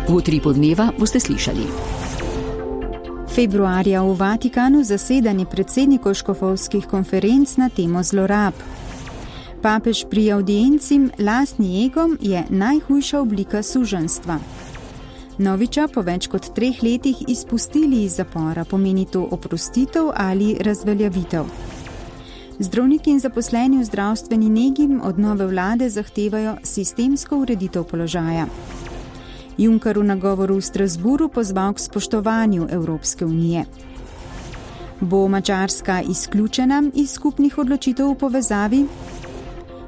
V Utripu dneva boste slišali. Februarja v Vatikanu zasedanje predsednikov škofovskih konferenc na temo zlorab. Papež pri audienci lastni egom je najhujša oblika suženjstva. Noviča po več kot 3 letih izpustili iz zapora, pomeni to oprostitev ali razveljavitev. Zdravniki in zaposleni v zdravstveni negi od nove vlade zahtevajo sistemsko ureditev položaja. Juncker v nagovoru v Strasburu pozval k spoštovanju Evropske unije. Bo Madžarska izključena iz skupnih odločitev v povezavi?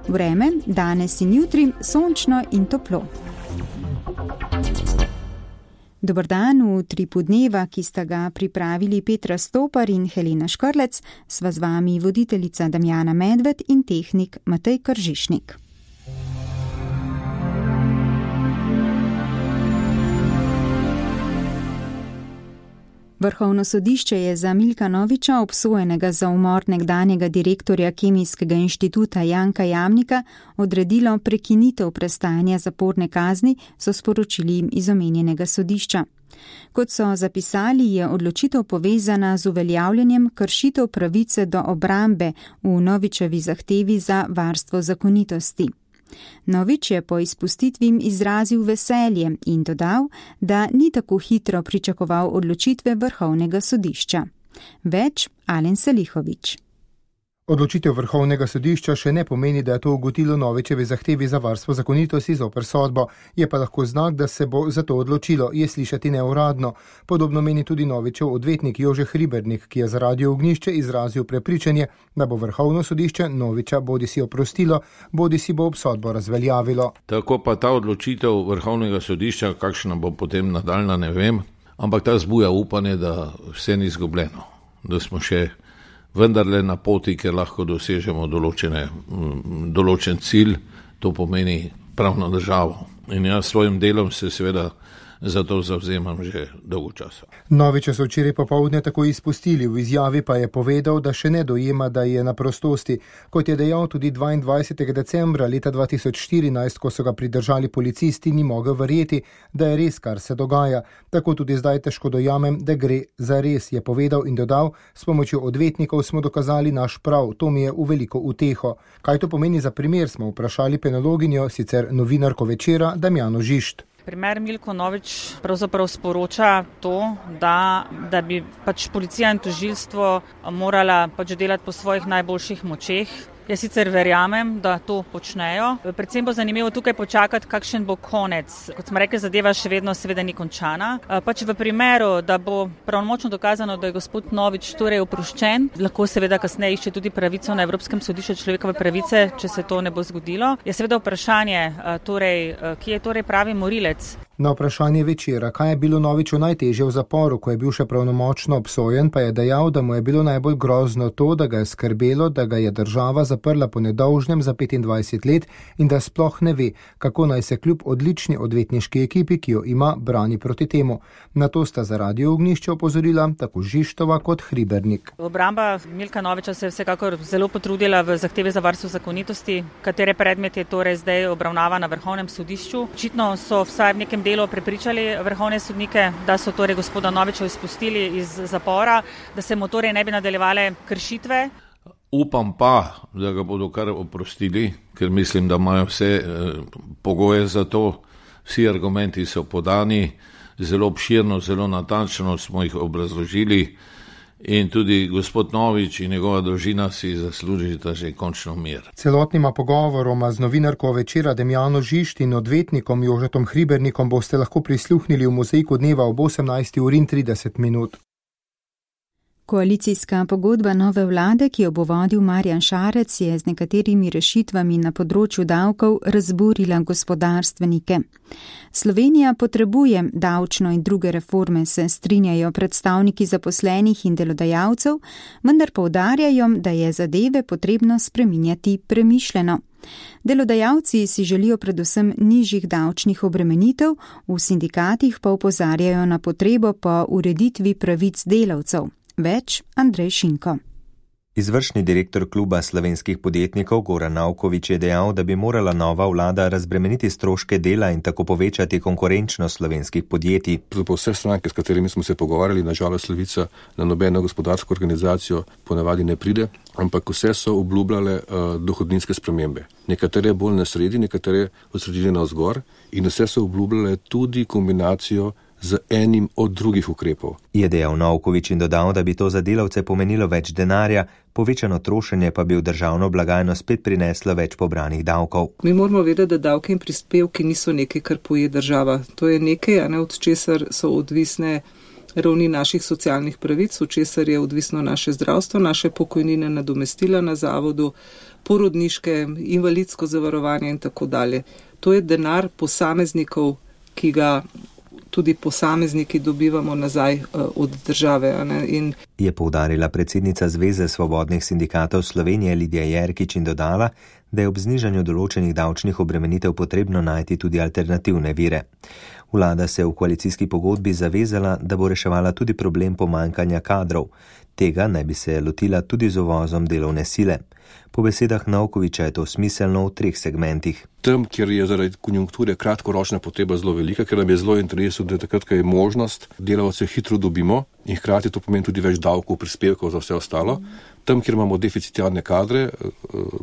Vreme, danes in jutri, sončno in toplo. Dober dan, v Utripu dneva, ki sta ga pripravili Petra Stopar in Helena Škrlec, sva z vami voditeljica Damjana Medved in tehnik Matej Kržišnik. Vrhovno sodišče je za Milka Noviča, obsojenega za umor nekdanjega direktorja Kemijskega inštituta Janka Jamnika, odredilo prekinitev prestajanja zaporne kazni, so sporočili iz omenjenega sodišča. Kot so zapisali, je odločitev povezana z uveljavljanjem kršitev pravice do obrambe v Novičevi zahtevi za varstvo zakonitosti. Novič je po izpustitvi izrazil veselje in dodal, da ni tako hitro pričakoval odločitve Vrhovnega sodišča. Več Alen Selihovič. Odločitev Vrhovnega sodišča še ne pomeni, da je to ugodilo Novičevi zahtevi za varstvo zakonitosti zoper sodbo. Je pa lahko znak, da se bo za to odločilo, je slišati neuradno. Podobno meni tudi Novičev odvetnik Jože Hribernik, ki je za Radio Ognjišče izrazil prepričanje, da bo Vrhovno sodišče Noviča bodisi oprostilo, bodisi bo obsodbo razveljavilo. Tako pa ta odločitev Vrhovnega sodišča, kakšna bo potem nadaljna, ne vem, ampak ta zbuja upanje, da vse ni izgubljeno, da smo še vendarle na poti, ker lahko dosežemo določen cilj, to pomeni pravno državo. In jaz s svojim delom se seveda za to zavzemam že dolgo časa. Noviča so včeraj popoldne tako izpustili, v izjavi pa je povedal, da še ne dojema, da je na prostosti. Kot je dejal tudi 22. decembra leta 2014, ko so ga pridržali policisti, ni mogel verjeti, da je res, kar se dogaja. Tako tudi zdaj težko dojamem, da gre za res, je povedal in dodal, s pomočjo odvetnikov smo dokazali naš prav, to mi je v veliko uteho. Kaj to pomeni za primer, smo vprašali penologinjo, sicer novinarko Večera, Damjano Žišt. Primer Milko Novič pravzaprav sporoča to, da bi policija in tožilstvo morala delati po svojih najboljših močeh. Jaz sicer verjamem, da to počnejo. Predvsem bo zanimivo tukaj počakati, kakšen bo konec. Kot smo rekli, zadeva še vedno seveda ni končana. V primeru, da bo pravnomočno dokazano, da je gospod Novič torej oproščen, lahko seveda kasneje išče tudi pravico na Evropskem sodišču človekove pravice, če se to ne bo zgodilo. Je seveda vprašanje, kje je torej pravi morilec. Na vprašanje Večera, kaj je bilo Noviču najtežje v zaporu, ko je bil še pravnomočno obsojen, pa je dejal, da mu je bilo najbolj grozno to, da ga je skrbelo, da ga je država zaprla po nedolžnem za 25 let in da sploh ne ve, kako naj se kljub odlični odvetniški ekipi, ki jo ima, brani proti temu. Na to sta za Radio Ognjišče opozorila tako Žištova kot Hribernik. Obramba Milka Noviča se je vsekakor zelo potrudila v zahtevi za varstvo zakonitosti, katere predmet je torej zdaj obravnava na Vrhovnem sodišču. Očitno so vsaj v nekem delu prepričali vrhovne sodnike, da so torej gospoda Noviča izpustili iz zapora, da se mu torej ne bi nadaljevale kršitve. Upam pa, da ga bodo kar oprostili, ker mislim, da imajo vse pogoje za to. Vsi argumenti so podani, zelo obširno, zelo natančno smo jih obrazložili. In tudi gospod Novič in njegova družina si zaslužita že končno mir. Celotnima pogovoroma z novinarko Večera Damjano Žišt in odvetnikom Jožetom Hribernikom boste lahko prisluhnili v Mozaiku dneva ob 18:30. Koalicijska pogodba nove vlade, ki jo bo vodil Marjan Šarec, je z nekaterimi rešitvami na področju davkov razburila gospodarstvenike. Slovenija potrebuje davčno in druge reforme, se strinjajo predstavniki zaposlenih in delodajalcev, vendar poudarjajo, da je zadeve potrebno spreminjati premišljeno. Delodajalci si želijo predvsem nižjih davčnih obremenitev, v sindikatih pa opozarjajo na potrebo po ureditvi pravic delavcev. Več Andrej Šinko. Izvršni direktor kluba slovenskih podjetnikov Goran Nauković je dejal, da bi morala nova vlada razbremeniti stroške dela in tako povečati konkurenčnost slovenskih podjetij. Vse stranke, s katerimi smo se pogovarjali, nažalost Levica na nobeno gospodarsko organizacijo ponavadi ne pride, ampak vse so obljubljale dohodninske spremembe. Nekatere bolj na sredi, nekatere od sredine navzgor in vse so obljubljale tudi kombinacijo z enim od drugih ukrepov. Je dejal Nauković in dodal, da bi to za delavce pomenilo več denarja, povečano trošenje pa bi v državno blagajno spet prineslo več pobranih davkov. Mi moramo vedeti, da davki in prispevki niso nekaj, kar poje država. To je nekaj, od česar so odvisne ravni naših socialnih pravic, od česar je odvisno naše zdravstvo, naše pokojnine, nadomestila na zavodu, porodniške, invalidsko zavarovanje in tako dalje. To je denar posameznikov, ki ga tudi posamezniki dobivamo nazaj od države. Je poudarila predsednica Zveze svobodnih sindikatov Slovenije Lidija Jerkič in dodala, da je ob znižanju določenih davčnih obremenitev potrebno najti tudi alternativne vire. Vlada se je v koalicijski pogodbi zavezala, da bo reševala tudi problem pomanjkanja kadrov. Tega naj bi se lotila tudi z uvozom delovne sile. Po besedah Naukovića je to smiselno v 3 segmentih. Tam, kjer je zaradi konjunkture kratkoročna potreba zelo velika, ker nam je zelo interesu, da takrat, ko je možnost, delavce hitro dobimo in hkrati to pomeni tudi več davkov, prispevkov za vse ostalo. Tam, kjer imamo deficitarne kadre,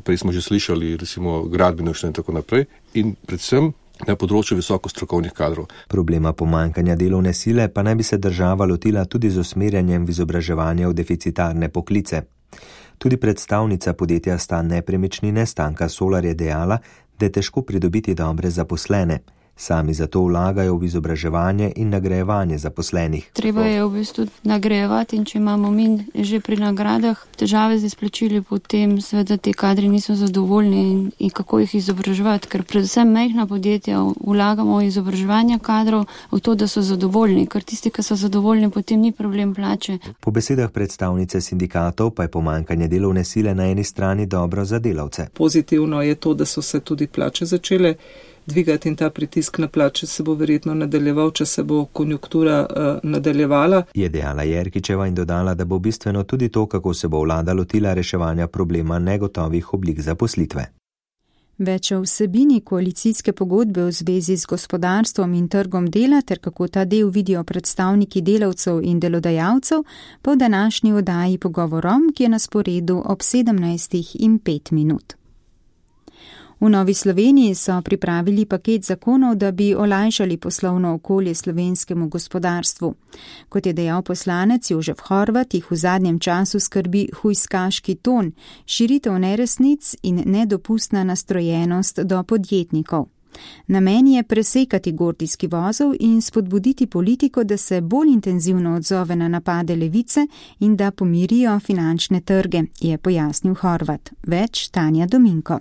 prej smo že slišali, recimo gradbeništvo in tako naprej, in predvsem na področju visoko strokovnih kadrov. Problema pomanjkanja delovne sile pa naj bi se država lotila tudi z usmerjanjem v izobraževanje v deficitarne poklice. Tudi predstavnica podjetja Stan nepremičnine Stanka Solar je dejala, da je težko pridobiti dobre zaposlene. Sami zato vlagajo v izobraževanje in nagrajevanje zaposlenih. Treba je v bistvu nagrajevati in če imamo mi že pri nagradah težave z izplačili, potem seveda te kadri niso zadovoljni in kako jih izobraževati, ker predvsem majhna podjetja vlagamo v izobraževanje kadrov, v to, da so zadovoljni, ker tisti, ki so zadovoljni, potem ni problem plače. Po besedah predstavnice sindikatov pa je pomanjkanje delovne sile na eni strani dobro za delavce. Pozitivno je to, da so se tudi plače začele dvigati in ta pritisk na plače se bo verjetno nadaljeval, če se bo konjunktura nadaljevala. Je dejala Jerkičeva in dodala, da bo bistveno tudi to, kako se bo vlada lotila reševanja problema negotovih oblik zaposlitve. Več o vsebini koalicijske pogodbe v zvezi z gospodarstvom in trgom dela ter kako ta del vidijo predstavniki delavcev in delodajalcev pa v današnji oddaji Pogovorom, ki je na sporedu ob 17:05. V Novi Sloveniji so pripravili paket zakonov, da bi olajšali poslovno okolje slovenskemu gospodarstvu. Kot je dejal poslanec Jožef Horvat, jih v zadnjem času skrbi hujskaški ton, širitev neresnic in nedopustna nastrojenost do podjetnikov. Namen je presekati gordijski vozel in spodbuditi politiko, da se bolj intenzivno odzove na napade levice in da pomirijo finančne trge, je pojasnil Horvat. Več Tanja Dominko.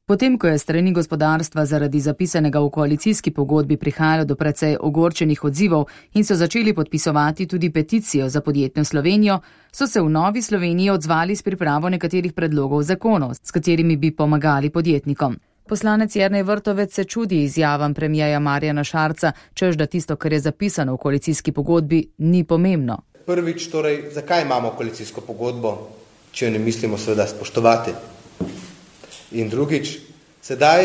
Potem, ko je strani gospodarstva zaradi zapisanega v koalicijski pogodbi prihajalo do precej ogorčenih odzivov in so začeli podpisovati tudi peticijo za podjetno Slovenijo, so se v Novi Sloveniji odzvali s pripravo nekaterih predlogov zakonov, s katerimi bi pomagali podjetnikom. Poslanec Jernej Vrtovec se čudi izjavam premierja Marjana Šarca, češ da tisto, kar je zapisano v koalicijski pogodbi, ni pomembno. Prvič, torej, zakaj imamo koalicijsko pogodbo, če jo ne mislimo seveda spoštovati? In drugič, sedaj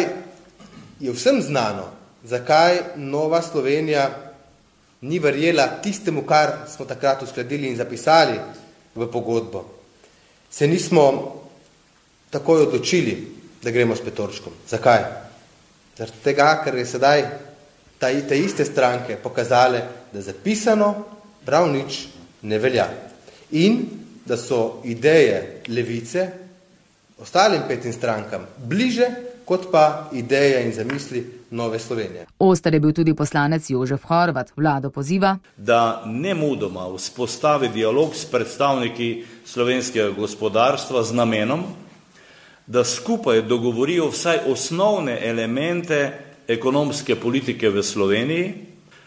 je vsem znano, zakaj Nova Slovenija ni verjela tistemu, kar smo takrat uskladili in zapisali v pogodbo. Se nismo takoj odločili, da gremo s Petorčkom. Zakaj? Zaradi tega, ker je sedaj te iste stranke pokazale, da zapisano prav nič ne velja. In da so ideje levice ostalim 5 strankam bliže, kot pa ideje in zamisli Nove Slovenije. Oster je bil tudi poslanec Jožef Horvat. Vlado poziva, da nemudoma vzpostavi dialog s predstavniki slovenskega gospodarstva z namenom, da skupaj dogovorijo vsaj osnovne elemente ekonomske politike v Sloveniji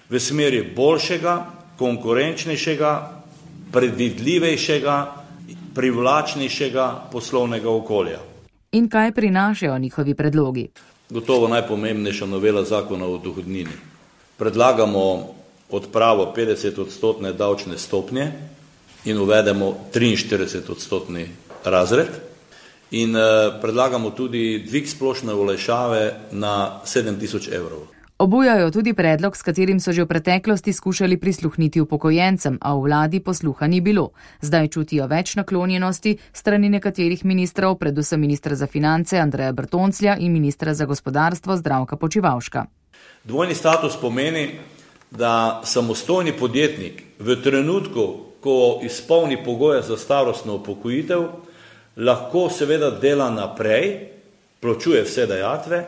v smeri boljšega, konkurenčnejšega, predvidljivejšega, privlačnejšega poslovnega okolja. In kaj prinašajo njihovi predlogi? Gotovo najpomembnejša novela zakona o dohodnini. Predlagamo odpravo 50% davčne stopnje in uvedemo 43% razred in predlagamo tudi dvig splošne olajšave na 7.000 evrov. Obujajo tudi predlog, s katerim so že v preteklosti skušali prisluhniti upokojencem, a v vladi posluha ni bilo. Zdaj čutijo več naklonjenosti strani nekaterih ministrov, predvsem ministra za finance Andreja Bertonclja in ministra za gospodarstvo Zdravka Počivalška. Dvojni status pomeni, da samostojni podjetnik v trenutku, ko izpolni pogoje za starostno upokojitev, lahko seveda dela naprej, plačuje vse dajatve,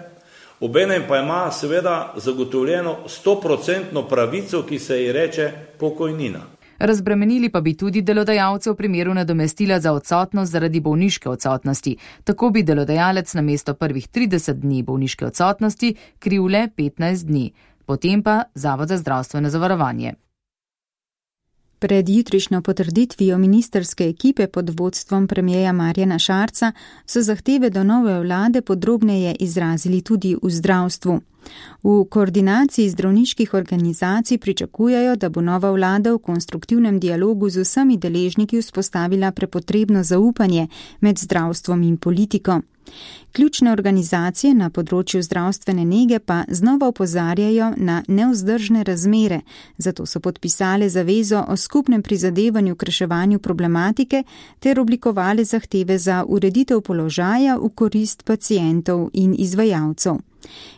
obenem pa ima seveda zagotovljeno 100% pravico, ki se ji reče pokojnina. Razbremenili pa bi tudi delodajalce v primeru nadomestila za odsotnost zaradi bolniške odsotnosti. Tako bi delodajalec namesto prvih 30 dni bolniške odsotnosti kril le 15 dni. Potem pa Zavod za zdravstveno zavarovanje. Pred jutrišnjo potrditvijo ministerske ekipe pod vodstvom premierja Marjana Šarca so zahteve do nove vlade podrobneje izrazili tudi v zdravstvu. V koordinaciji zdravniških organizacij pričakujejo, da bo nova vlada v konstruktivnem dialogu z vsemi deležniki vzpostavila prepotrebno zaupanje med zdravstvom in politiko. Ključne organizacije na področju zdravstvene nege pa znova opozarjajo na nevzdržne razmere, zato so podpisale zavezo o skupnem prizadevanju k reševanju problematike ter oblikovale zahteve za ureditev položaja v korist pacientov in izvajalcev.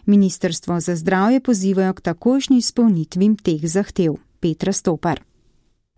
Ministrstvo za zdravje pozivajo k takojšnji izpolnitvi teh zahtev. Petra Stopar.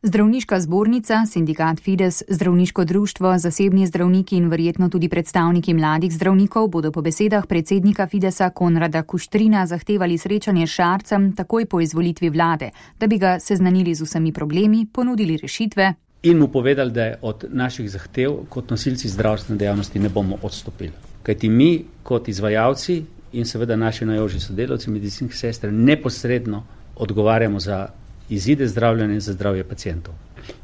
Zdravniška zbornica, sindikat Fides, zdravniško društvo, zasebni zdravniki in verjetno tudi predstavniki mladih zdravnikov bodo po besedah predsednika Fidesa Konrada Kuštrina zahtevali srečanje s Šarcem takoj po izvolitvi vlade, da bi ga seznanili z vsemi problemi, ponudili rešitve in mu povedali, da od naših zahtev kot nosilci zdravstvene dejavnosti ne bomo odstopili. Kajti mi kot izvajalci in seveda naši najožji sodelavci, medicinskih sester, neposredno odgovarjamo za izide zdravljenja in za zdravje pacientov.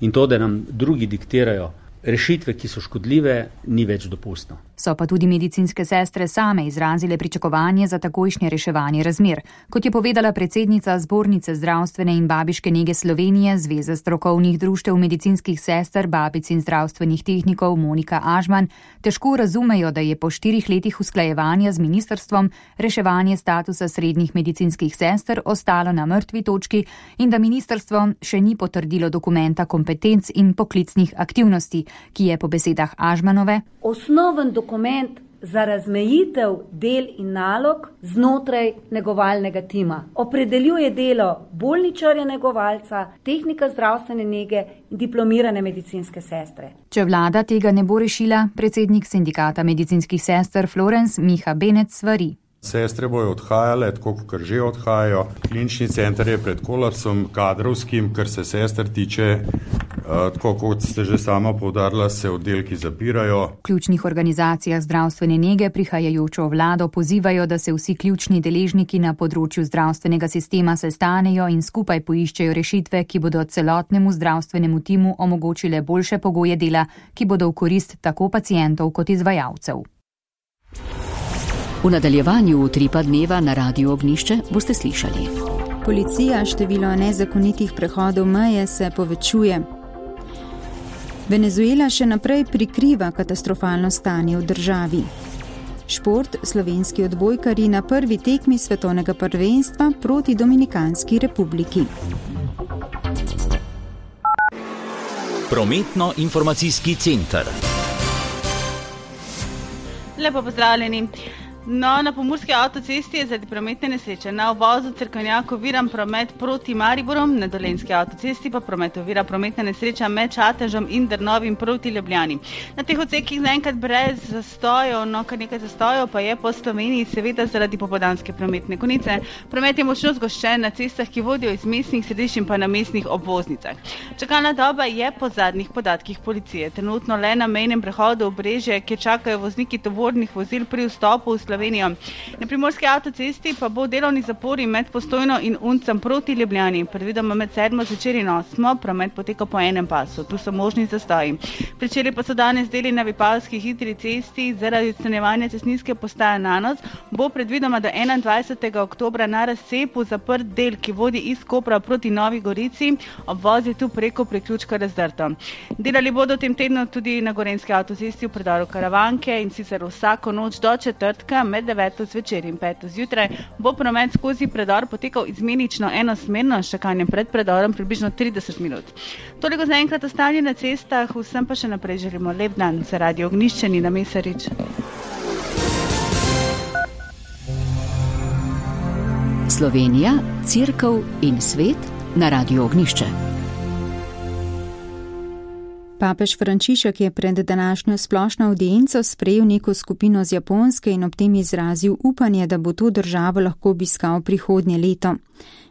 In to, da nam drugi diktirajo rešitve, ki so škodljive, ni več dopustno. So pa tudi medicinske sestre same izrazile pričakovanje za takojšnje reševanje razmer. Kot je povedala predsednica Zbornice zdravstvene in babiške nege Slovenije, Zveze strokovnih društev medicinskih sester, babic in zdravstvenih tehnikov Monika Ažman, težko razumejo, da je po 4 letih usklajevanja z ministrstvom reševanje statusa srednjih medicinskih sester ostalo na mrtvi točki in da ministrstvo še ni potrdilo dokumenta kompetenc in poklicnih aktivnosti, ki je po besedah Ažmanove osnoven dokument za razmejitev del in nalog znotraj negovalnega tima. Opredeljuje delo bolničarja negovalca, tehnika zdravstvene nege in diplomirane medicinske sestre. Če vlada tega ne bo rešila, predsednik sindikata medicinskih sester Florence Miha Benec svari. Sestre bojo odhajale, tako kot že odhajajo. Klinični center je pred kolapsom kadrovskim, kar se sester tiče, tako kot ste že sama poudarila, se oddelki zapirajo. V ključnih organizacijah zdravstvene nege prihajajočo vlado pozivajo, da se vsi ključni deležniki na področju zdravstvenega sistema sestanejo in skupaj poiščejo rešitve, ki bodo celotnemu zdravstvenemu timu omogočile boljše pogoje dela, ki bodo v korist tako pacientov kot izvajalcev. V nadaljevanju utripa dneva na Radiu Ognjišče boste slišali. Policija število nezakonitih prehodov meje se povečuje. Venezuela še naprej prikriva katastrofalno stanje v državi. Šport, slovenski odbojkarji na prvi tekmi svetovnega prvenstva proti Dominikanski republiki. Prometno-informacijski center. Lepo pozdravljeni. No, na pomurski avtocesti je zaradi prometne nesreče na uvozu Cerkovnjak oviran promet proti Mariborom, na dolenjski avtocesti pa promet ovira prometna nesreča med Čatežem in Drnovim proti Ljubljani. Na teh odsekih zaenkrat brez zastojev, no kar nekaj zastojev pa je po Sloveniji, seveda zaradi popoldanske prometne konice. Promet je močno zgoščen na cestah, ki vodijo iz mestnih središč in pa na mestnih obvoznicah. Čakalna doba je po zadnjih podatkih policije trenutno le na mejnem prehodu Obrežje, kjer čakajo vozniki tovornih vozil pri vstopu v Slovenijo Slovenijo. Na primorski avtocesti pa bo delovni zapori med Postojno in Uncem proti Ljubljani. Predvidoma med 7. zvečer in 8. promet poteka po enem pasu. Tu so možni zastoji. Pričeli pa so danes deli na Vipavski hitri cesti zaradi odstranjevanja cestninske postaje Nanos. Bo predvidoma do 21. oktobra na razcepu zaprt del, ki vodi iz Kopra proti Novi Gorici. Obvoz je tu preko priključka razdrto. Delali bodo v tem tednu tudi na Gorenjski avtocesti v predoru Karavanke in sicer vsako noč do četrtka med 9. zvečer in 5. zjutraj bo promet skozi predor potekal izmenično enosmerno, s čakanjem pred predorom približno 30 minut. Toliko zaenkrat o stanju na cestah, vsem pa še naprej želimo lep dan. Za Radio Ognjišče, Nina Mesarič. Slovenija, Cerkev in svet na Radio Ognjišče. Papež Frančišek je pred današnjo splošno avdienco sprejel neko skupino z Japonske in ob tem izrazil upanje, da bo to državo lahko obiskal prihodnje leto.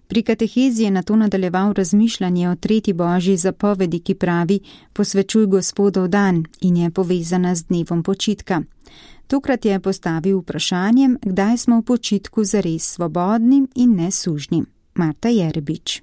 Pri katehezi je nato nadaljeval razmišljanje o tretji božji zapovedi, ki pravi: posvečuj Gospodov dan, in je povezana z dnevom počitka. Tokrat je postavil vprašanjem, kdaj smo v počitku zares svobodni in nesužni. Marta Jerebič.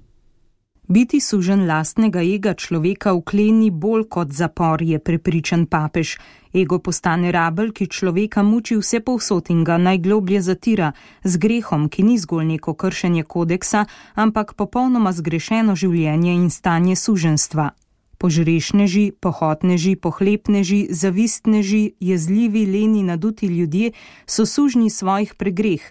Biti sužen lastnega ega človeka vkleni bolj kot zapor, je prepričan papež. Ego postane rabelj, ki človeka muči vse povsod in ga najgloblje zatira, z grehom, ki ni zgolj neko kršenje kodeksa, ampak popolnoma zgrešeno življenje in stanje suženstva. Požrešneži, pohotneži, pohlepneži, zavistneži, jezljivi, leni, naduti ljudje so sužnji svojih pregreh.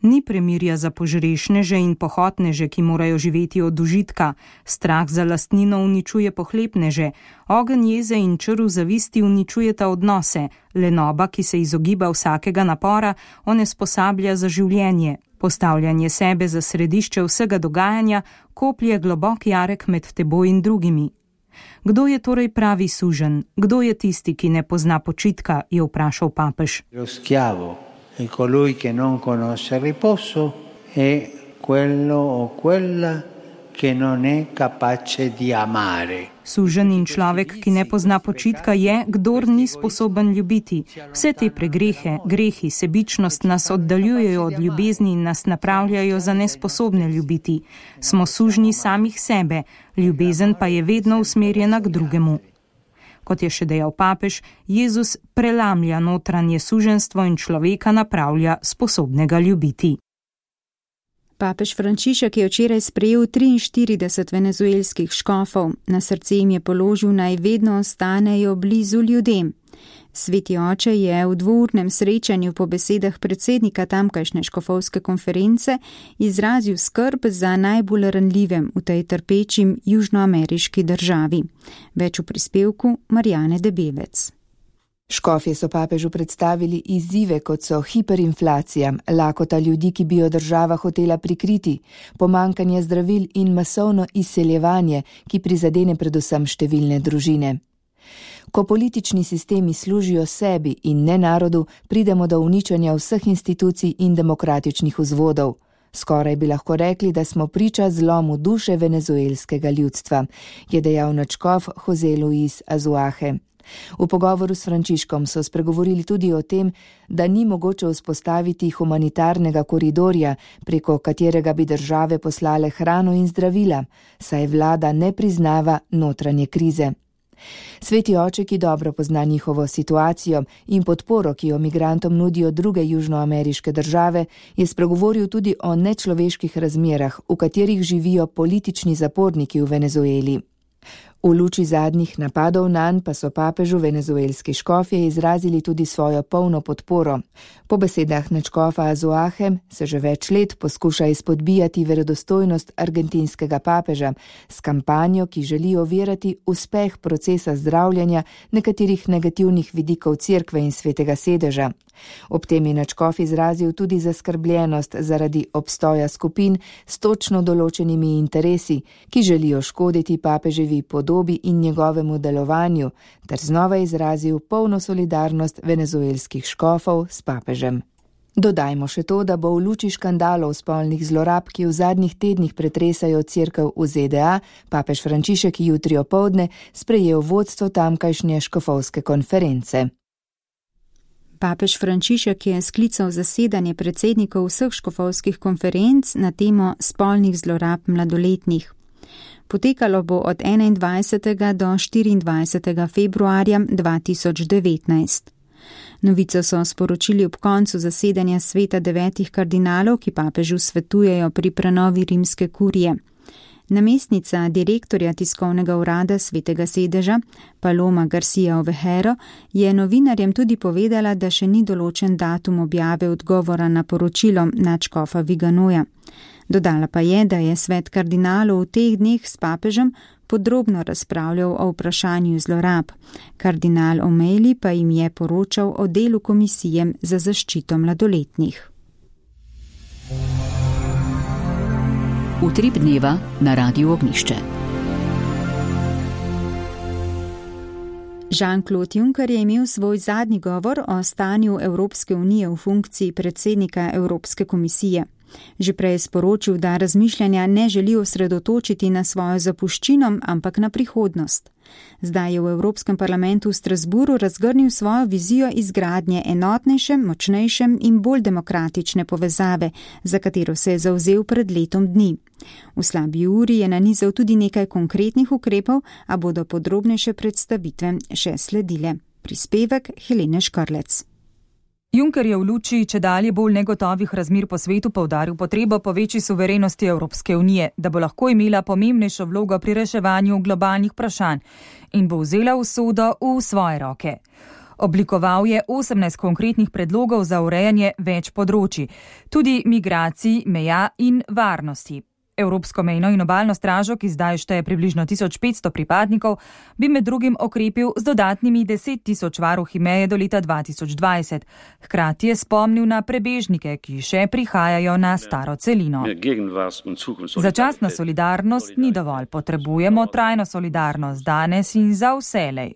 Ni premirja za požrešneže in pohotneže, ki morajo živeti od užitka. Strah za lastnino uničuje pohlepneže. Ogenj jeze in črv zavisti uničujeta odnose. Lenoba, ki se izogiba vsakega napora, onesposablja za življenje. Postavljanje sebe za središče vsega dogajanja koplje globok jarek med teboj in drugimi. Kdo je torej pravi sužen? Kdo je tisti, ki ne pozna počitka, je vprašal papež. E colui che non conosce riposo è quello o quella che non è capace di amare. Sužen in človek, ki ne pozna počitka, je, kdor ni sposoben ljubiti. Vse te pregrehe, grehi, sebičnost nas oddaljujejo od ljubezni in nas napravljajo za nesposobne ljubiti. Smo sužnji samih sebe, ljubezen pa je vedno usmerjena k drugemu. Kot je še dejal papež, Jezus prelamlja notranje suženstvo in človeka napravlja sposobnega ljubiti. Papež Frančišek je včeraj sprejel 43 venezuelskih škofov. Na srce jim je položil, naj vedno ostanejo blizu ljudem. Sveti oče je v dvournem srečanju po besedah predsednika tamkajšnje škofovske konference izrazil skrb za najbolj ranljivem v tej trpečim južnoameriški državi. Več v prispevku Marjane Debevec. Škofje so papežu predstavili izzive, kot so hiperinflacija, lakota ljudi, ki bi jo država hotela prikriti, pomankanje zdravil in masovno izseljevanje, ki prizadene predvsem številne družine. Ko politični sistemi služijo sebi in ne narodu, pridemo do uničenja vseh institucij in demokratičnih vzvodov. Skoraj bi lahko rekli, da smo priča zlomu duše venezuelskega ljudstva, je dejal nadškof José Luis Azuaje. V pogovoru s Frančiškom so spregovorili tudi o tem, da ni mogoče vzpostaviti humanitarnega koridorja, preko katerega bi države poslale hrano in zdravila, saj vlada ne priznava notranje krize. Sveti oče, ki dobro pozna njihovo situacijo in podporo, ki jo migrantom nudijo druge južnoameriške države, je spregovoril tudi o nečloveških razmerah, v katerih živijo politični zaporniki v Venezueli. V luči zadnjih napadov nanj pa so papežu venezuelski škofje izrazili tudi svojo polno podporo. Po besedah nadškofa Azuaje se že več let poskuša izpodbijati verodostojnost argentinskega papeža s kampanjo, ki želi ovirati uspeh procesa zdravljenja nekaterih negativnih vidikov cerkve in svetega sedeža. Ob tem je nadškof izrazil tudi zaskrbljenost zaradi obstoja skupin s točno določenimi interesi, ki želijo škoditi papeževi podobi in njegovemu delovanju, ter znova izrazil polno solidarnost venezuelskih škofov s papežem. Dodajmo še to, da bo v luči škandalov spolnih zlorab, ki v zadnjih tednih pretresajo cerkev v ZDA, papež Frančišek jutri opoldne sprejel vodstvo tamkajšnje škofovske konference. Papež Frančišek je sklical zasedanje predsednikov vseh škofovskih konferenc na temo spolnih zlorab mladoletnih. Potekalo bo od 21. do 24. februarja 2019. Novico so sporočili ob koncu zasedanja sveta 9 kardinalov, ki papežu svetujejo pri prenovi rimske kurije. Namestnica direktorja tiskovnega urada Svetega sedeža, Paloma Garcia Ovejero, je novinarjem tudi povedala, da še ni določen datum objave odgovora na poročilo nadškofa Viganoja. Dodala pa je, da je svet kardinalov v teh dneh s papežem podrobno razpravljal o vprašanju zlorab. Kardinal O'Malley pa jim je poročal o delu komisije za zaščito mladoletnih. Utrip dneva na Radiu Ognjišče. Jean-Claude Juncker je imel svoj zadnji govor o stanju Evropske unije v funkciji predsednika Evropske komisije. Že prej je sporočil, da razmišljanja ne želi osredotočiti na svojo zapuščino, ampak na prihodnost. Zdaj je v Evropskem parlamentu v Strasburu razgrnil svojo vizijo izgradnje enotnejše, močnejše in bolj demokratične povezave, za katero se je zavzel pred letom dni. V slabi uri je nanizal tudi nekaj konkretnih ukrepov, a bodo podrobnejše predstavitve še sledile. Prispevek Helene Škrlec. Juncker je v luči čedalje bolj negotovih razmer po svetu poudaril potrebo po večji suverenosti Evropske unije, da bo lahko imela pomembnejšo vlogo pri reševanju globalnih vprašanj in bo vzela usodo v svoje roke. Oblikoval je 18 konkretnih predlogov za urejanje več področij, tudi migracij, meja in varnosti. Evropsko mejno in obalno stražo, ki zdaj šteje približno 1500 pripadnikov, bi med drugim okrepil z dodatnimi 10 000 varuhi meje do leta 2020. Hkrati je spomnil na prebežnike, ki še prihajajo na staro celino. Začasna solidarnost ni dovolj, potrebujemo trajno solidarnost danes in za vselej.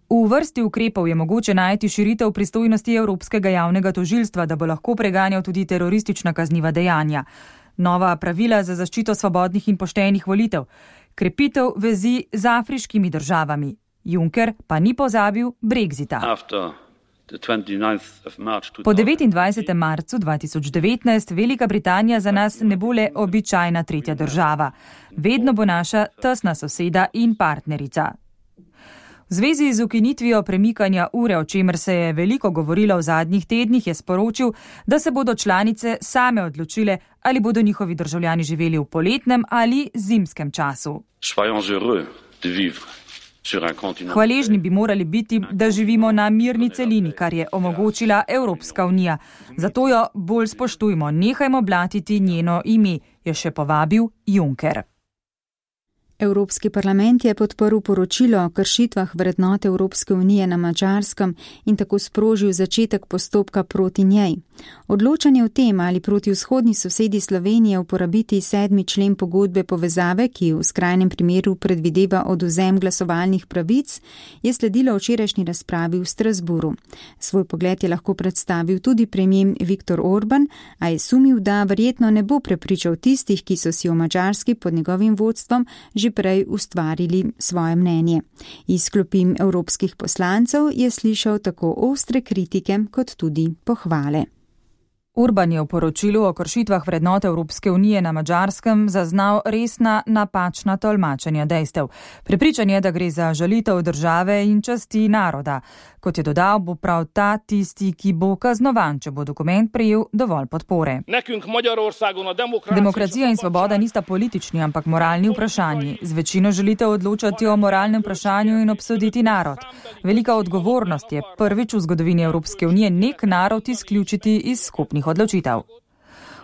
V vrsti ukrepov je mogoče najti širitev pristojnosti Evropskega javnega tožilstva, da bo lahko preganjal tudi teroristična kazniva dejanja. Nova pravila za zaščito svobodnih in poštenih volitev, krepitev vezi z afriškimi državami. Juncker pa ni pozabil Brexita. Po 29. marcu 2019 Velika Britanija za nas ne bo le običajna tretja država. Vedno bo naša tesna soseda in partnerica. V zvezi z ukinitvijo premikanja ure, o čemer se je veliko govorilo v zadnjih tednih, je sporočil, da se bodo članice same odločile, ali bodo njihovi državljani živeli v poletnem ali zimskem času. Hvaležni bi morali biti, da živimo na mirni celini, kar je omogočila Evropska unija. Zato jo bolj spoštujmo, nehajmo blatiti njeno ime, je še povabil Juncker. Evropski parlament je podprl poročilo o kršitvah vrednot Evropske unije na Madžarskem in tako sprožil začetek postopka proti njej. Odločanje o tem, ali proti vzhodni sosedi Slovenije uporabiti 7. člen pogodbe povezave, ki v skrajnem primeru predvideva odvzem glasovalnih pravic, je sledilo včerajšnji razpravi v Strasburu. Svoj pogled je lahko predstavil tudi premier Viktor Orban, a je sumil, da verjetno ne bo prepričal tistih, ki so si v Madžarski pod njegovim vodstvom že prej ustvarili svoje mnenje. Iz klopi evropskih poslancev je slišal tako ostre kritike kot tudi pohvale. Orban je v poročilu o kršitvah vrednot Evropske unije na Madžarskem zaznal resna napačna tolmačenja dejstev. Prepričan je, da gre za žalitev države in časti naroda. Kot je dodal, bo prav ta tisti, ki bo kaznovan, če bo dokument prejel dovolj podpore. Demokracija in svoboda nista politični, ampak moralni vprašanji. Z večino želite odločati o moralnem vprašanju in obsoditi narod. Velika odgovornost je prvič v zgodovini Evropske unije nek narod izključiti iz skupnih odločitev.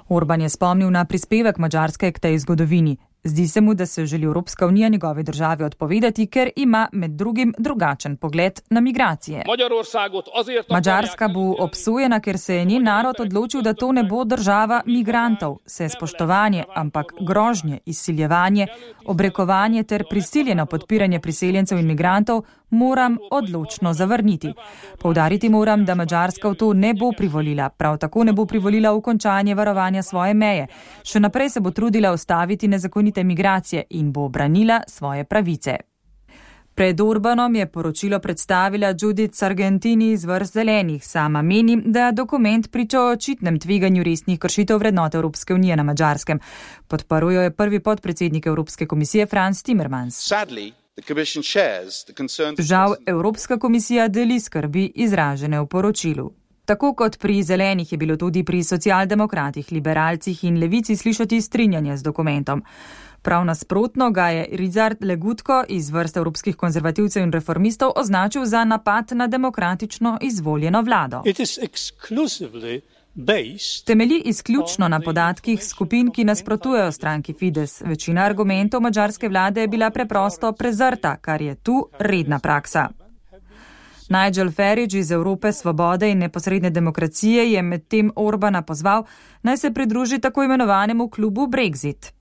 Orban je spomnil na prispevek Madžarske k tej zgodovini. Zdi se mu, da se želi Evropska unija njegove države odpovedati, ker ima med drugim drugačen pogled na migracije. Madžarska bo obsojena, ker se je njen narod odločil, da to ne bo država migrantov. Se spoštovanje, ampak grožnje, izsiljevanje, obrekovanje ter prisiljeno podpiranje priseljencev in migrantov moram odločno zavrniti. Poudariti moram, da Madžarska v to ne bo privolila. Prav tako ne bo privolila v končanje varovanja svoje meje. Še naprej se bo trudila ustaviti nezakonite migracije in bo branila svoje pravice. Pred Orbanom je poročilo predstavila Judith Sargentini iz vrst Zelenih. Sama meni, da dokument priča o očitnem tveganju resnih kršitev vrednot Evropske unije na Madžarskem. Podprl jo je prvi podpredsednik Evropske komisije Frans Timmermans. Žal, Evropska komisija deli skrbi izražene v poročilu. Tako kot pri Zelenih je bilo tudi pri socialdemokratih, liberalcih in levici slišati strinjanje z dokumentom. Prav nasprotno ga je Rizard Legutko iz vrst evropskih konzervativcev in reformistov označil za napad na demokratično izvoljeno vlado. Temelji izključno na podatkih skupin, ki nasprotujejo stranki Fides. Večina argumentov madžarske vlade je bila preprosto prezrta, kar je tu redna praksa. Nigel Farage iz Evrope svobode in neposredne demokracije je medtem Orbana pozval, naj se pridruži tako imenovanemu klubu Brexit.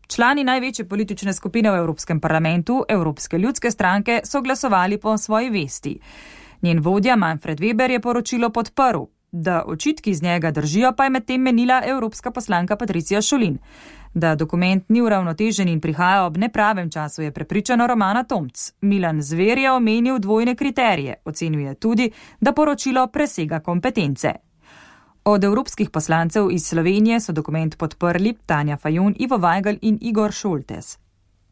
Člani največje politične skupine v Evropskem parlamentu, Evropske ljudske stranke, so glasovali po svoji vesti. Njen vodja Manfred Weber je poročilo podprl. Da očitki z njega držijo, pa je medtem menila evropska poslanka Patricia Šulin. Da dokument ni uravnotežen in prihaja ob nepravem času, je prepričana Romana Tomc. Milan Zver je omenil dvojne kriterije. Ocenjuje tudi, da poročilo presega kompetence. Od evropskih poslancev iz Slovenije so dokument podprli Tanja Fajon, Ivo Vajgl in Igor Šoltes.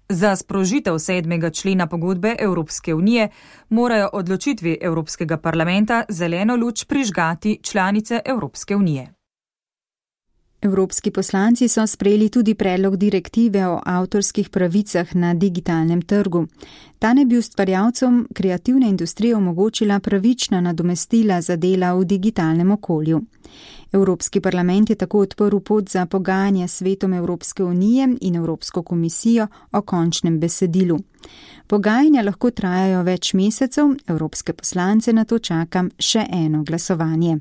Za sprožitev 7. člena pogodbe Evropske unije morajo odločitvi Evropskega parlamenta zeleno luč prižgati članice Evropske unije. Evropski poslanci so sprejeli tudi predlog direktive o avtorskih pravicah na digitalnem trgu. Ta naj bi ustvarjalcem kreativne industrije omogočila pravična nadomestila za dela v digitalnem okolju. Evropski parlament je tako odprl pot za pogajanja s Svetom Evropske unije in Evropsko komisijo o končnem besedilu. Pogajanja lahko trajajo več mesecev, evropske poslance na to čaka še eno glasovanje.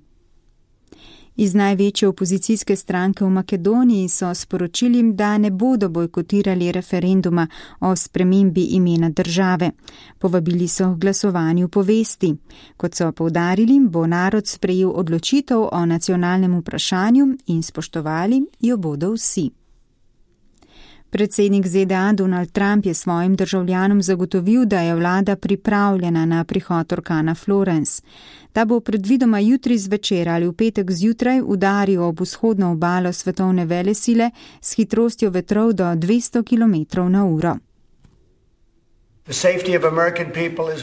Iz največje opozicijske stranke v Makedoniji so sporočili, da ne bodo bojkotirali referenduma o spremembi imena države. Povabili so k glasovanju po vesti. Kot so poudarili, bo narod sprejel odločitev o nacionalnem vprašanju in spoštovali jo bodo vsi. Predsednik ZDA Donald Trump je svojim državljanom zagotovil, da je vlada pripravljena na prihod orkana Florence. Ta bo predvidoma jutri zvečer ali v petek zjutraj udaril ob vzhodno obalo svetovne velesile s hitrostjo vetrov do 200 km/h.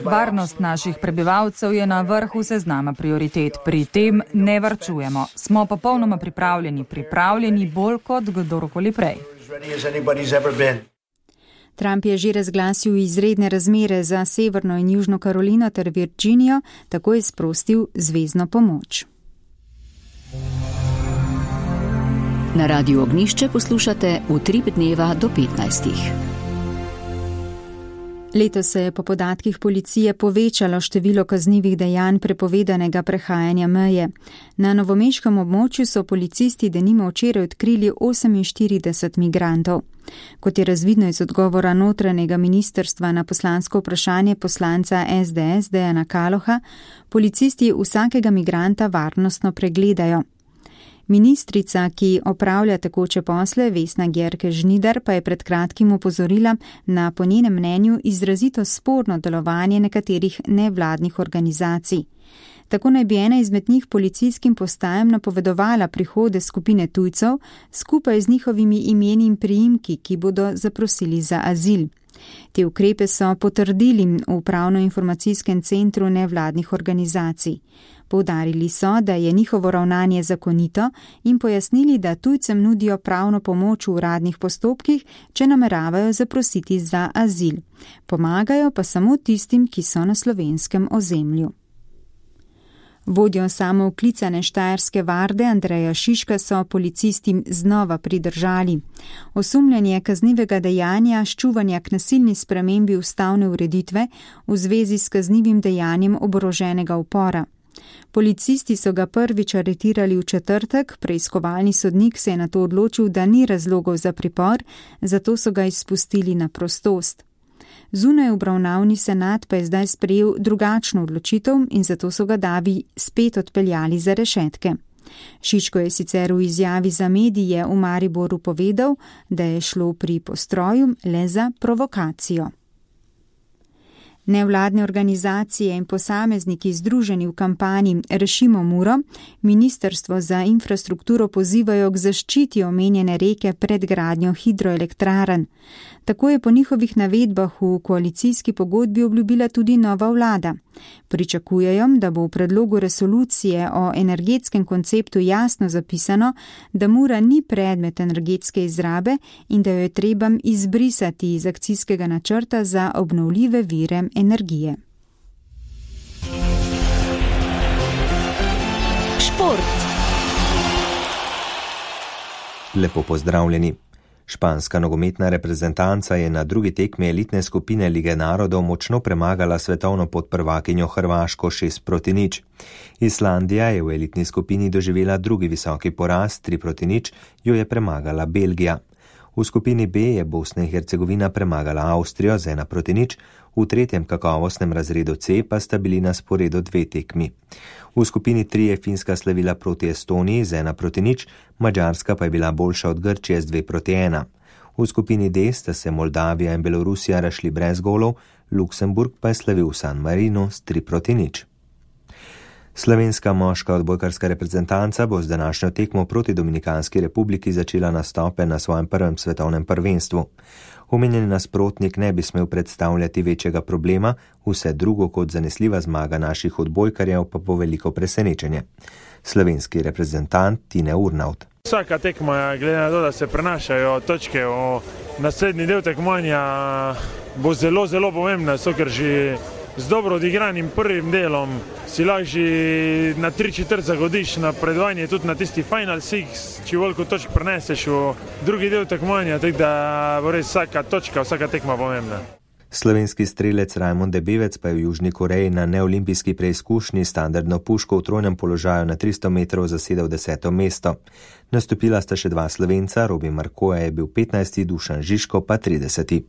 Varnost naših prebivalcev je na vrhu seznama prioritet. Pri tem ne varčujemo. Smo popolnoma pripravljeni bolj kot kdorkoli prej. Trump je že razglasil izredne razmere za Severno in Južno Karolino ter Virginijo, tako je sprostil zvezno pomoč. Na Radiu Ognjišče poslušate Utrip dneva do 15. Letos se je po podatkih policije povečalo število kaznivih dejanj prepovedanega prehajanja meje. Na novomeškem območju so policisti denimo včeraj odkrili 48 migrantov. Kot je razvidno iz odgovora notranjega ministrstva na poslansko vprašanje poslanca SDS Dejana Kaloha, policisti vsakega migranta varnostno pregledajo. Ministrica, ki opravlja tekoče posle, Vesna Györke Žnidar, pa je pred kratkim opozorila na po njenem mnenju izrazito sporno delovanje nekaterih nevladnih organizacij. Tako naj bi ena izmed njih policijskim postajem napovedovala prihode skupine tujcev skupaj z njihovimi imeni in priimki, ki bodo zaprosili za azil. Te ukrepe so potrdili v Upravno-informacijskem centru nevladnih organizacij. Poudarili so, da je njihovo ravnanje zakonito in pojasnili, da tujcem nudijo pravno pomoč v uradnih postopkih, če nameravajo zaprositi za azil. Pomagajo pa samo tistim, ki so na slovenskem ozemlju. Vodjo samooklicane Štajerske varde Andreja Šiška so policisti znova pridržali. Osumljanje kaznivega dejanja ščuvanja k nasilni spremembi ustavne ureditve v zvezi s kaznivim dejanjem oboroženega upora. Policisti so ga prvič aretirali v četrtek, preiskovalni sodnik se je nato odločil, da ni razlogov za pripor, zato so ga izpustili na prostost. Zunaj obravnavni senat pa je zdaj sprejel drugačno odločitev in zato so ga davi spet odpeljali za rešetke. Šiško je sicer v izjavi za medije v Mariboru povedal, da je šlo pri postroju le za provokacijo. Nevladne organizacije in posamezniki združeni v kampanji Rešimo Muro Ministrstvo za infrastrukturo pozivajo k zaščiti omenjene reke pred gradnjo hidroelektrarn. Tako je po njihovih navedbah v koalicijski pogodbi obljubila tudi nova vlada. Pričakujejo, da bo v predlogu resolucije o energetskem konceptu jasno zapisano, da Mura ni predmet energetske izrabe in da jo je treba izbrisati iz akcijskega načrta za obnovljive vire energije. Šport. Lepo pozdravljeni. Španska nogometna reprezentanca je na drugi tekmi elitne skupine Lige narodov močno premagala svetovno podprvakinjo Hrvaško 6-0. Islandija je v elitni skupini doživela drugi visoki poraz, 3-0, jo je premagala Belgija. V skupini B je Bosna in Hercegovina premagala Avstrijo z 1-0, v tretjem kakovostnem razredu C pa sta bili na sporedu 2 tekmi. V skupini 3 je Finska slavila proti Estoniji z 1-0, Madžarska pa je bila boljša od Grčije z 2-1. V skupini D sta se Moldavija in Belorusija razšli brez golov, Luksemburg pa je slavil v San Marinu s 3-0. Slovenska moška odbojkarska reprezentanca bo z današnjo tekmo proti Dominikanski republiki začela nastope na svojem prvem svetovnem prvenstvu. Omenjeni nasprotnik ne bi smel predstavljati večjega problema, vse drugo kot zanesljiva zmaga naših odbojkarjev pa bo veliko presenečenje. Slovenski reprezentant Tine Urnaut. Vsaka tekma, glede na to, da se prenašajo točke v naslednji del tekmovanja, bo zelo, zelo pomembna, ker že z dobro odigranim prvim delom si lahko že na 3/4 zagodiš na predvajanje tudi na tisti Final Six, če veliko točk preneseš v drugi del tekmovanja, tako da bo res vsaka točka, vsaka tekma pomembna. Slovenski strelec Rajmond Debevec pa je v Južni Koreji na neolimpijski preizkušnji standardno puško v trojnem položaju na 300 metrov zasedel 10. mesto. Nastopila sta še 2 Slovenca, Robi Markoja je bil 15., Dušan Žižko pa 30.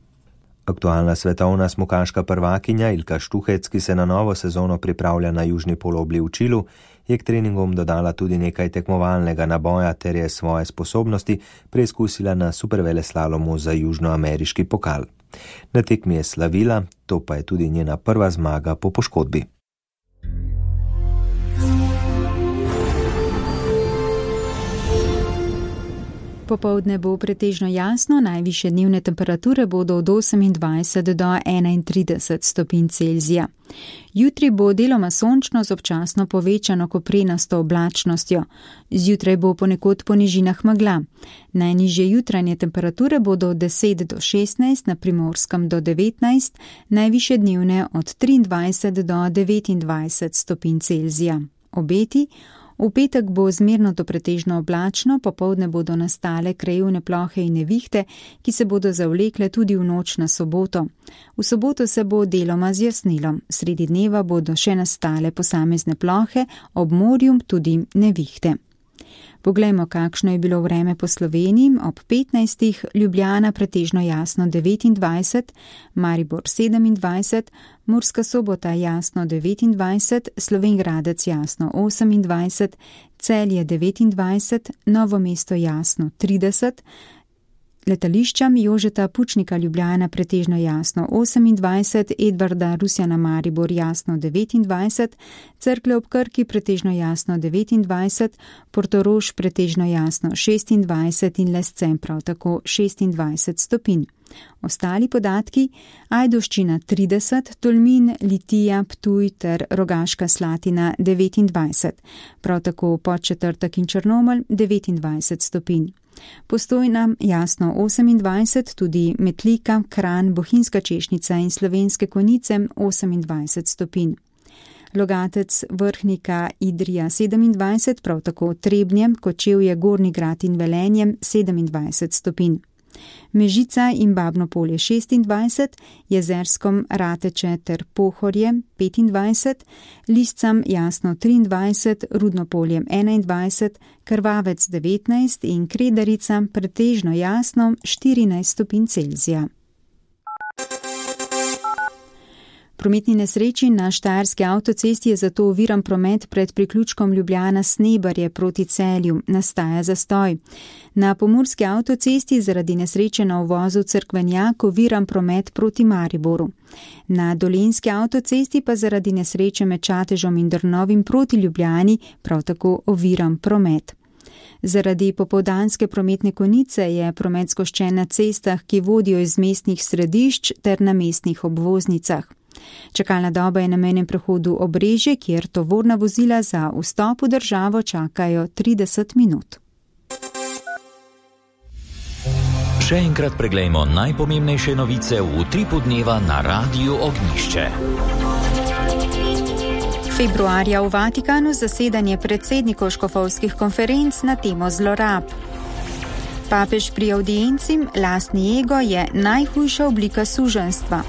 Aktualna svetovna smukaška prvakinja Ilka Štuhec, ki se na novo sezono pripravlja na južni polobli v Čilu, je k treningom dodala tudi nekaj tekmovalnega naboja ter je svoje sposobnosti preizkusila na superveleslalomu za južnoameriški pokal. Na tekmi je slavila, to pa je tudi njena prva zmaga po poškodbi. Popoldne bo pretežno jasno, najvišje dnevne temperature bodo od 28 do 31 stopinj Celzija. Jutri bo deloma sončno z občasno povečano koprenasto oblačnostjo. Zjutraj bo ponekod po nižinah megla. Najnižje jutranje temperature bodo od 10 do 16, na Primorskem do 19, najvišje dnevne od 23 do 29 stopinj Celzija. Obeti: v petek bo zmerno do pretežno oblačno, popoldne bodo nastale krajevne plohe in nevihte, ki se bodo zavlekle tudi v noč na soboto. V soboto se bo deloma zjasnilo, sredi dneva bodo še nastale posamezne plohe, ob morju tudi nevihte. Poglejmo, kakšno je bilo vreme po Sloveniji. Ob 15. Ljubljana pretežno jasno 29, Maribor 27, Murska Sobota jasno 29, Slovenj Gradec jasno 28, Celje 29, Novo mesto jasno 30, letališčam Jožeta Pučnika Ljubljana pretežno jasno 28, Edvarda Rusjana Maribor jasno 29, Cerklje ob Krki pretežno jasno 29, Portorož pretežno jasno 26 in Lescem prav tako 26 stopinj. Ostali podatki: Ajdovščina 30, Tolmin, Litija, Ptuj ter Rogaška Slatina 29, prav tako Podčetrtek in Črnomelj 29 stopinj. Postojna jasno 28, tudi Metlika, Kranj, Bohinjska Češnica in Slovenske Konjice 28 stopinj. Logatec, Vrhnika, Idrija 27, prav tako Trebnje, Kočevje, Gornji Grad in Velenje 27 stopinj. Mežica in Babno Polje 26, Jezerskom, Rateče ter Pohorje 25, Liscam jasno 23, Rudno Polje 21, Krvavec 19 in Kredarica pretežno jasno 14 stopinj Celzija. prometni nesreči na Štajerski avtocesti je zato oviran promet pred priključkom Ljubljana-Snebarje proti Celju. Nastaja zastoj. Na pomurski avtocesti zaradi nesreče na uvozu Cerkvenjak oviran promet proti Mariboru. Na dolenjski avtocesti pa zaradi nesreče med Čatežom in Drnovim proti Ljubljani prav tako oviran promet. Zaradi popoldanske prometne konice je promet zgoščen na cestah, ki vodijo iz mestnih središč ter na mestnih obvoznicah. Čakalna doba je na mejnem prehodu Obrežje, kjer tovorna vozila za vstop v državo čakajo 30 minut. Še enkrat preglejmo najpomembnejše novice v utripu dneva na Radiu Ognjišče. Februarja v Vatikanu zasedanje predsednikov škofovskih konferenc na temo zlorab. Papež pri audienci lastni ego je najhujša oblika suženjstva.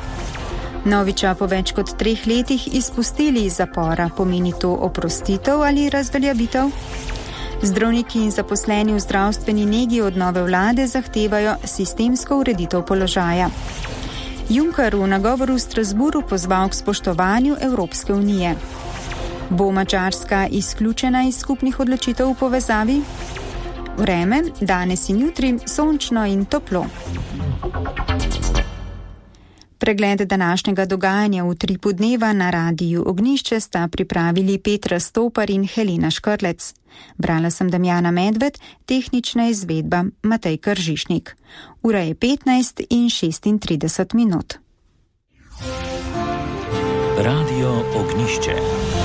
Noviča po več kot 3 letih izpustili iz zapora, pomeni to oprostitev ali razveljavitev? Zdravniki in zaposleni v zdravstveni negi od nove vlade zahtevajo sistemsko ureditev položaja. Juncker v nagovoru v Strasburu pozval k spoštovanju Evropske unije. Bo Madžarska izključena iz skupnih odločitev v povezavi? Vreme, danes in jutri, sončno in toplo. Pregled današnjega dogajanja v utripu dneva na Radiu Ognjišče sta pripravili Petra Stopar in Helena Škrlec. Brala sem Damjana Medved, tehnična izvedba Matej Kržišnik. Ura je 15:36. Radio Ognjišče.